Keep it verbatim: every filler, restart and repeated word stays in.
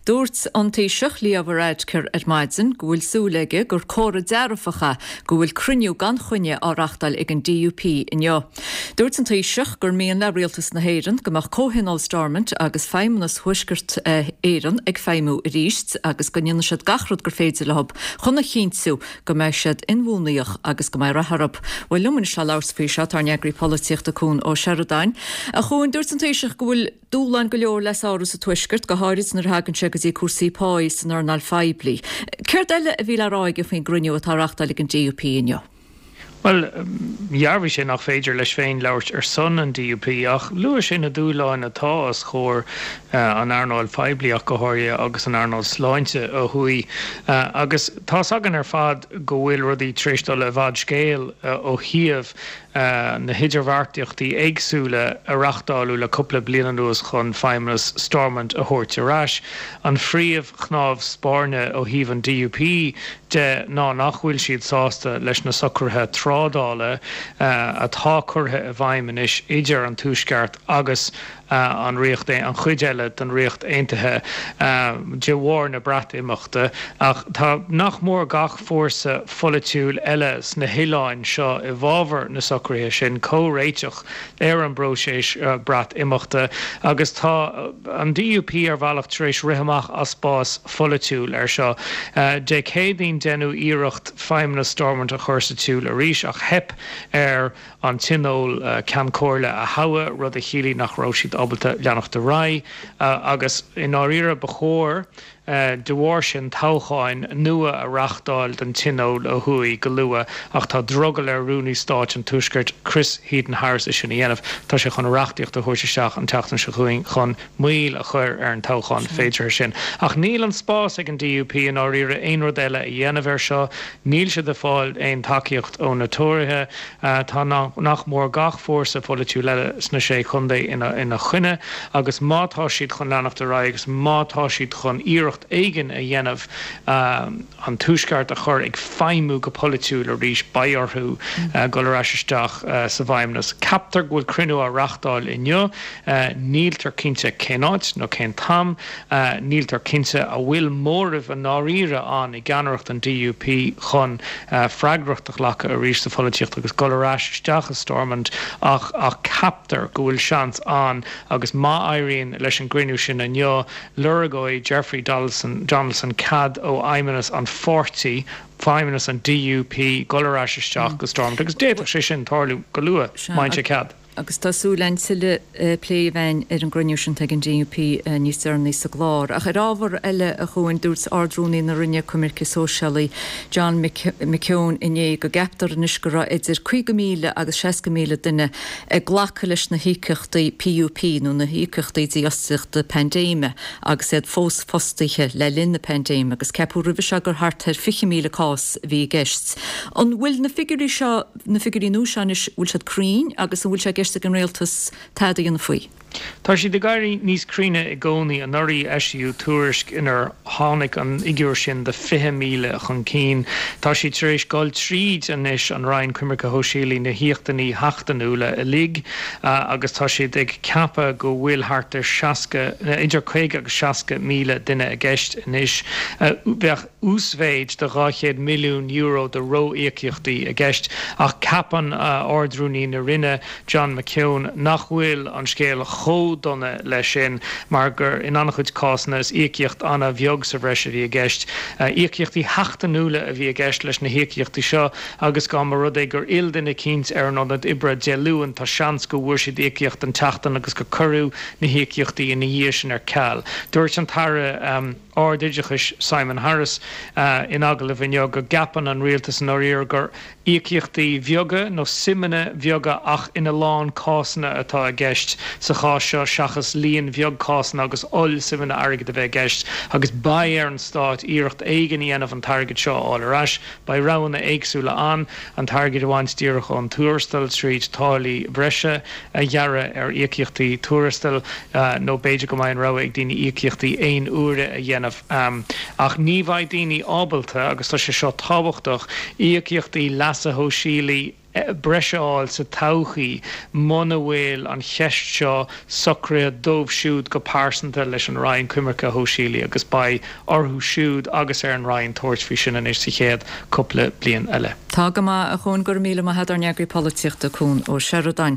Dúirt an Taoiseach Leo Varadkar ar maidin go bhfuil súil aige gur comhartha dearfach é go bhfuil cruinniú gan choinne á reáchtáil ag an D U P inniu. Dúirt an Taoiseach gur mian le rialtas na hÉireann go mbeadh Comhthionól Stormont agus Feidhmeannas Thuaisceart Éireann ag feidhmiú arís agus go ndéanfaidh siad gach rud gur féidir leo chun a chinntiú go mbeidh siad inbhuanaithe agus go mbeidh rath orthu. Bhuel, liom anseo le labhairt faoi seo tá ár n-eagraí polaitíochta Cuan Ó Seireadáin. A Chuain, dúirt an Taoiseach go bhfuil dúshlán go leor le sárú sa Tuaisceart, go háirid nuair a thagann sé go dtí cúrsaí páí san earnáil phoiblí. Céard eile a bhí le rá aige faoin gcruinniú atá á reáchtáil ag an D U P inniu? Well, dhearbhaigh sé nach féidir leis féin labhairt ar son an D U P, ach luaigh sé na dúshláin atá os comhair an earnáil phoiblí ach go háirithe agus an earnáil sláinte ó thuaidh. Agus tá againn ar fad go bhfuil rudaí tar éis dul i bhfad scéal ó thaobh na hidirbheartaíochtaí éagsúla a reáchtáladh le cúpla bliain anuas chun Feidhmeannas Stormont a thabhairt ar ais. An phríomhchnámh spairne ó thaobh an D U P de ná nach bhfuil siad sásta leis na socruithe trádála atá curtha i bhfeidhm anois idir an Tuaisceart agus an Ríocht, an chuid eile den Ríocht Aontaithe, de bharr na Breatimeachta, ach tá nach mór gach fórsa polaitiúil eile sna hoileáin seo i bhfabhar na socruithe sin, comhréiteach ar an bpróiseas Breatimeachta, agus tá an D U P ar bhealach tar éis rith amach as spás polaitiúil ar seo. Dé Céadaoin deineadh iarracht Feidhmeannas Stormont a chur sa tsiúl arís, ach theip ar an tionól Ceann Comhairle a thoghadh, rud a chiallaigh nach raibh siad ábalta leanacht ar aghaidh, agus i ndáiríre ba chóir de bharr sin toghcháin nua a reáchtáil don tionól ó thuaidh go luath, ach tá drogall ar Rúnaí Stáit an Tuaiscirt Chris Heaton-Harris é sin a dhéanamh. Tá sé chun reachtaíocht a thabhairt isteach an tseachtain seo chugainn chun moill a chur ar an toghchán féideartha sin. Ach níl an spás ag an D U P i ndáiríre aon rud eile a dhéanamh ar seo. Níl siad ag fáil aon tacaíocht ó na Tóraithe. Tá nach mór gach fórsa polaitiúil eile sna sé chontae ina ina choinne, agus má tá siad chun leanacht ar aghaidh agus má tá siad chun iarracht éigin a dhéanamh an Tuaisceart a chur ag feidhmiú go polaitiúil arís, beidh orthu dul ar ais isteach sa bhFeidhmeannas. Ceaptar go bhfuil cruinniú á reáchtáil inniu, níltear cinnte cén áit nó cén t-am, níltear cinnte an bhfuil móramh i ndáiríre ann i gceannaireacht an D U P chun freagracht a ghlacadh arís sa pholaitíocht agus dul ar ais isteach i Stormont, ach ach ceaptar go bhfuil seans ann, agus má éiríonn leis an gcruinniú sin inniu, lorgóidh Jeffrey Donaldson, Donaldson cead ó Fheidhmeannas an pháirtí, Feidhmeannas an D U P, dul ar ais isteach go Stormont, agus d'fhéadfadh sé sin tarlú go luath má fhaigheann sé cead. Agus tá súil againn tuilleadh plé a bheith ar an gcruinniú sin ag an D U P níos deireanaí sa gclár. Ach ar ábhar eile, a Chuain, dúirt Ard-Rúnaí na Roinne Coimirce Sóisialaí John McKeown inné go gceaptar anois go raibh idir caoga míle agus seasca míle duine ag glacadh leis na híocaíochtaí P U P nó na híocaíochtaí dífhostaíochta paindéime agus iad fós fostaithe le linn na paindéime, agus ceapadh roimhe seo gur thart ar fiche míle cás a bhí i gceist. An bhfuil na figiúirí seo, na figiúirí nua seo anois, bhfuil siad cruinn agus an bhfuil sé i gceist ag an rialtas tada a dhéanamh faoi? Tá siad ag éirí níos cruinne i gcónaí. Anuraidh eisíodh tuairisc inar tháinig an fhigiúr sin de fiche míle chun cinn. Tá siad tar éis dul tríd anois, an Roinn Coimirce Shóisialaí, na híocaíochtaí seachtainiúla uilig, agus tá siad ag ceapadh go bhfuil thart ar seasca, idir caoga agus seasca míle duine i gceist anois. Bheadh uasmhéid de dhá chéad milliún euro de ró-íocaíochtaí i gceist, ach ceapann Ard-Rúnaí na Roinne John McKeown nach bhfuil an scéal chomh dona leis sin, mar gur in an-chuid cásanna is íocaíocht an-bheag sa bhreis a bhí i gceist. Íocaíochtaí seachtainiúla a bhí i gceist leis na híocaíochtaí seo, agus dá mba rud é gur fhill duine eicínt ar an ionad oibre Dé Luain, tá seans go bhfuair siad íocaíocht an tseachtain agus gur cuireadh na híocaíochtaí ina dhiaidh sin ar ceal. Dúirt an tAire Ardoideachais Simon Harris in agallamh inniu go gceapann an rialtas i ndáiríre gur íocaíochtaí beaga nó suimeanna beaga ach ina lán cásanna atá i gceist sa chás seo seachas líon beag cásanna agus ollsuimeanna airgid a bheith i gceist, agus beidh ar an stát iarracht éigin a dhéanamh an t-airgead seo a fháil ar ais. Beidh roghanna éagsúla ann, an t-airgead a bhaint díreach ón tuarastal tríd táillí breise a ghearradh ar íocaíochtaí tuarastail, nó b'fhéidir go mbeidh an rogha ag daoine íocaíochtaí aon uaire a dhéanamh. Ach ní bheidh daoine ábalta, agus tá sé seo tábhachtach, íocaíochtaí leasa shóisialaigh breise a fháil sa todhchaí muna bhfuil an cheist seo socraithe dóibh siúd go pearsanta leis an Roinn Coimirce Shóisialaí agus beidh orthu siúd agus ar an Roinn tabhairt faoi sin anois sa chéad cúpla bliain eile. Tá go maith a Chuain go raibh míle maith agat ár n-eagraí polaitíochta Cuan Ó Seireadáin.